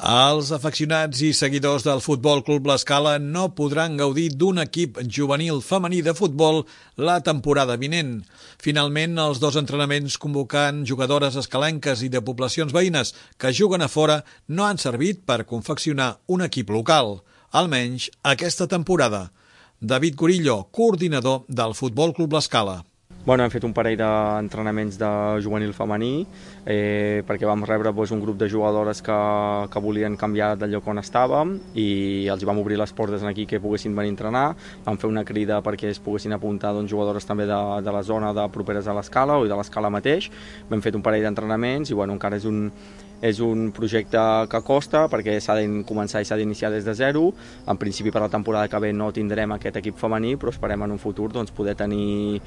Els afeccionats i seguidors del Futbol Club L'Escala no podran gaudir d'un equip juvenil femení de futbol la temporada vinent. Finalment, els dos entrenaments convocant jugadores escalenques i de poblacions veïnes que juguen a fora no han servit per confeccionar un equip local, almenys aquesta temporada. David Gorillo, coordinador del Futbol Club L'Escala. Hem fet un parell d'entrenaments de juvenil femení perquè vam rebre un grup de jugadores que volien canviar del lloc on estàvem i els vam obrir les portes aquí que poguessin venir a entrenar. Vam fer una crida perquè es poguessin apuntar jugadores també de la zona properes a l'Escala o de l'Escala mateix. Hem fet un parell d'entrenaments i encara és un projecte que costa perquè s'ha de començar i s'ha d'iniciar des de zero. En principi per la temporada que ve no tindrem aquest equip femení, però esperem en un futur poder tenir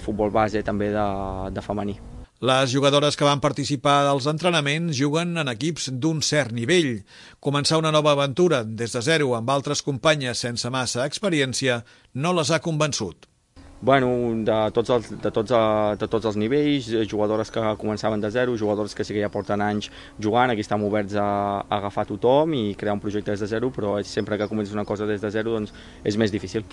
futbol base també de femení. Les jugadores que van participar dels entrenaments juguen en equips d'un cert nivell. Començar una nova aventura des de zero amb altres companyes sense massa experiència no les ha convençut. De tots els nivells, jugadores que començaven de zero, jugadores que sí que ja porten anys jugant, aquí estem oberts a agafar tothom i crear un projecte des de zero, però sempre que comences una cosa des de zero és més difícil.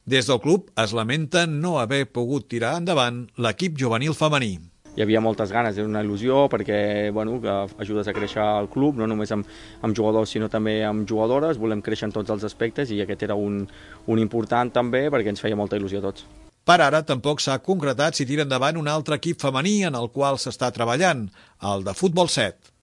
Des del club es lamenta no haver pogut tirar endavant l'equip juvenil femení. Hi havia moltes ganes, era una il·lusió perquè que ajudes a créixer el club, no només amb jugadors sinó també amb jugadores, volem créixer en tots els aspectes i aquest era un important també perquè ens feia molta il·lusió a tots. Per ara tampoc s'ha concretat si tira endavant un altre equip femení en el qual s'està treballant, el de Futbol 7.